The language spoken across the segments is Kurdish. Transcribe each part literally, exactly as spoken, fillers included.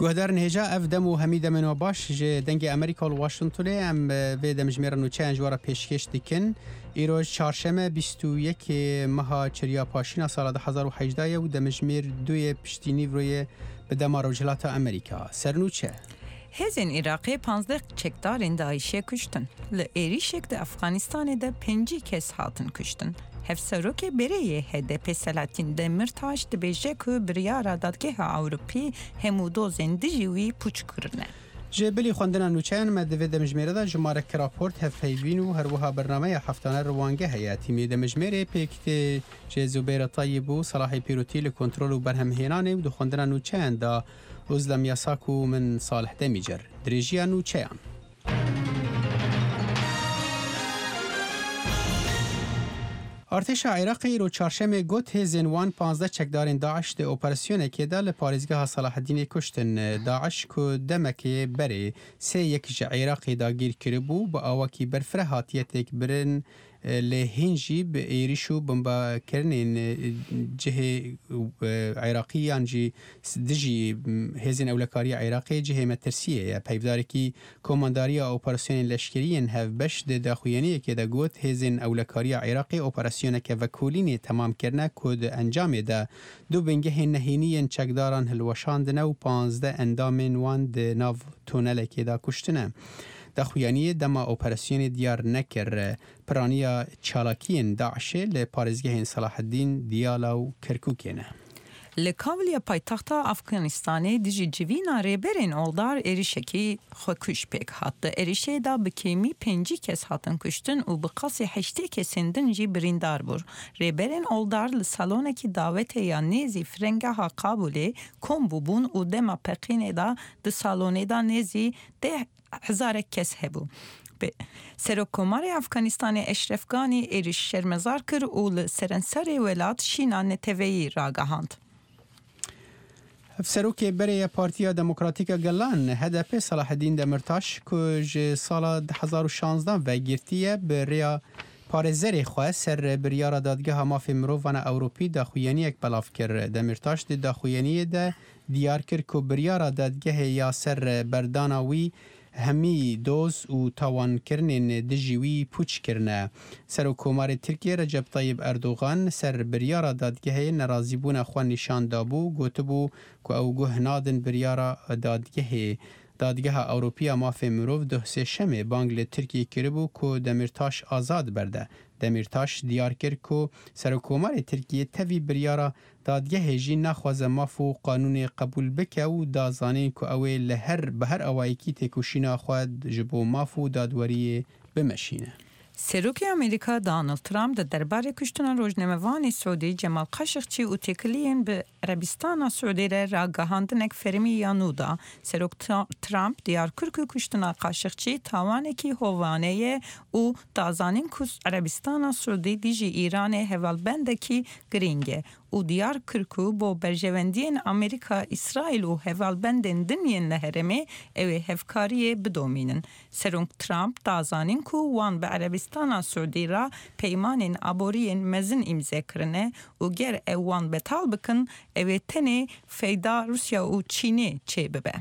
Guhdarên hêja, ev dem û hemî demên we baş ji Dengê Amerîka li Washingtonê. Em, e, vê demjimêra nûçeyan ji we re pêşkêş dikin. Îroj çarşeme bîst û yekê meha Çiriya Paşîna sala du hezar û hejdeh ye û demjimêr duyê piştî nîvroyê bi dema Rojhilata Amerîka. Sernûçe. Hêzên Iraqê panzdeh çekdarên DAIŞê kuştin. Li êrîşek di Efxanistanê de pêncî kes hatin kuştin. Hevserokê berê yê H D P Selahattin Demirtaş dibêje ku biryara Dadgeha Ewropî hemû dozên dijî wî pûç kirine. Ji bilî xwendina nûçeyan me di vê demjimêre de jimarek raport, hevpeyvîn û her wiha bernameya heftane Riwangeh heye. Tîmê demjimêrê pêk tê ji Zubeyra Tayyib û Selahê Pîrotî li kontrol û berhemhênanê û di xwendina nûçeyan de Uzlem Yasak û min Salih Demîcer. Dirêjiya nûçeyan. Artêşa Iraqê îro çarşemê got hêzên wan panzdeh çekdarên DAIŞ di operasyonekê de li parêzgeha Salaheddînê kuştin. DAIŞ ku demekê berê sê yek ji Iraqê dagîr kiribû, bi awakî berfireh hatiye têkbirin, lê hîn jî bi êrîş û bombekirinên cihê Iraqî yan jî dijî hêzên ewlekariya Iraqê cihê metirsiyê ye. Peyvdarekî Komandariya Operasyonên Leşkerî yên Hevbeş di daxuyaniyekê de got, hêzên ewlekariya Iraqê operasyoneke vekolînê temam kirine ku di encamê de du bingehên nehênî yên çekdaran hilweşandine û panzdeh endamên wan di nav tunelekê de kuştine. Daxuyaniyê dema operasyonê diyar nekir. Piraniya çalakiyên DAIŞê li parêzgehên Selaheddîn, Diyala û Kerkûkê ne. Li Kawiliya paytexta Afganistanê dijî civîna rêberên oldar êrişekî xwekuj pêk hat. Di êrişê de bi kêmî pêncî kes hatin kuştin û bi qasî heştê kesên din jî birîndar bûr. Rêberên oldar li salonekî dawetê ya nêzî firengeha Kabûlê kom bûbûn û dema peqînê de di salonê de nêzî deh hezarek kes hebû. Bi Serokkomarê Afganistanê Eşref Ganî êrîş şermezar kir û li serenserê welat şîna neteweyî ragehand. Hevserokê berê ya Partiya Demokratîk a Gelan, H D P, Selaheddîn Demirtaş, ku ji sala du hezar û şanzdan ve girtiye, bi rêya parêzerê xwe ser biryara Dadgeha Mafê Mirovan a Ewropî daxuyaniyek belav kir. Demirtaş di daxuyaniyê de diyar kir ku biryara dadgehê ya ser berdana wî hemî doz û tawankirinên dijî wî pûç kirine. Serokkomarê Tirkiyê Recep Tayyip Erdogan ser biryara dadgehê nerazîbûna xwe nîşan dabû, gotibû ku ew guh nadin biryara dadgehê. Dadgeha Ewropî ya Mafê Mirov duh sêşemê bang li Tirkiyê kiribû ku Demîrtaş azad berde. Demîrtaş diyar kir ku Serokkomarê Tirkiyê tevî biryara dadgehê jî naxwaze maf û qanûnê qebûl bike û da zanîn ku ew ê li her, bi her awayekî têkoşîna xwe ji bo maf û dadweriyê bimeşîne. Serokê Amerîka Donald Trump di derbarê kuştina rojnamevanê Siûdî Cemal Kaşiqçî û têkiliyên bi Erebistana Siûdî re ragihandinek fermî ya nû da. Serok Tra-, Trump diyar kir ku kuştina Kaşiqçî tawanekî hovane ye û da zanîn ku Erebistana Siûdî dijî Îranê hevalbendekî girîng e û diyar kir ku bo berjewendiyên Amerîka, Îsraîl û hevalbendên din yên li herêmê ew ê hevkariyê bidomînin. Serok Trump da zanîn ku wan bi Erebistana Siûdî re peymanên aboriyên mezin îmze kirine û ger ew wan betal bikin, ew ê tenê feyda Rûsya û Çînê çêbibe.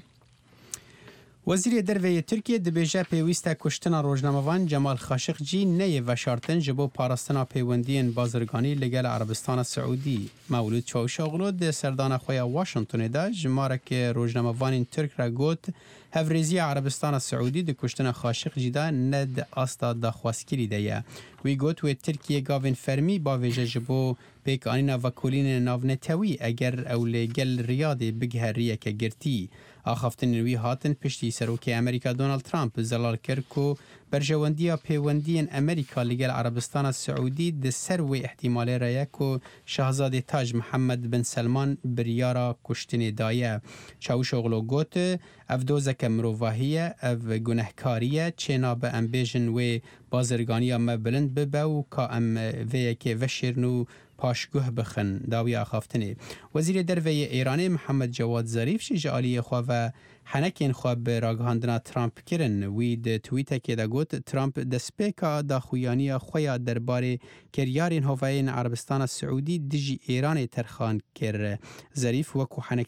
Wezîrê Derve yê Tirkiyê dibêje pêwîst e kuştina rojnamevan Cemal Xaşiqcî neyê veşartin ji bo parastina pêwendiyên bazirganî li gel Erebistana Siûdî. Mewlûd Çavuşoglu di serdana xwe ya Washingtonê de jimarek rojnamevanên Tirk re got, hevrêziya Erebistana Siûdî di kuştina Xaşiqcî de ne di asta daxwazkirî de ye. Wî got, wê Tirkiye gavên fermî bavêje ji bo pêkanîna vekolînên navnetewî eger ew li gel Riyadê bigihe riyeke girtî. Axaftinên wî hatin piştî Serokê Amerîka Donald Trump zelal kir ku berjewendiya pêwendiyên Amerîka li gel Erebistana Siûdî di ser wê îhtîmalê re ye ku Şahzadê Taj Mihemed bin Selman biryara kuştinê daye. Çavuşoglu got, ev dozeke mirovahî ye, ev gunehkarî ye, çênabe em bêjin wê bazirganiya me bilind bibe û ka em vê yekê veşêrin û paşguh bixin. Dawiya axaftinê. Wezîrê Derve yê Êranê Mihemed Cewad Zarîf jî ji aliyê xwe ve henekên xwe bi ragihandina Trump kirin. Wî di twîtekê de got, Trump destpêka daxuyaniya xwe ya derbarê kiryarên hovayên Erebistana Siûdî dijî Êranê terxan kir. Zarîf wekû henek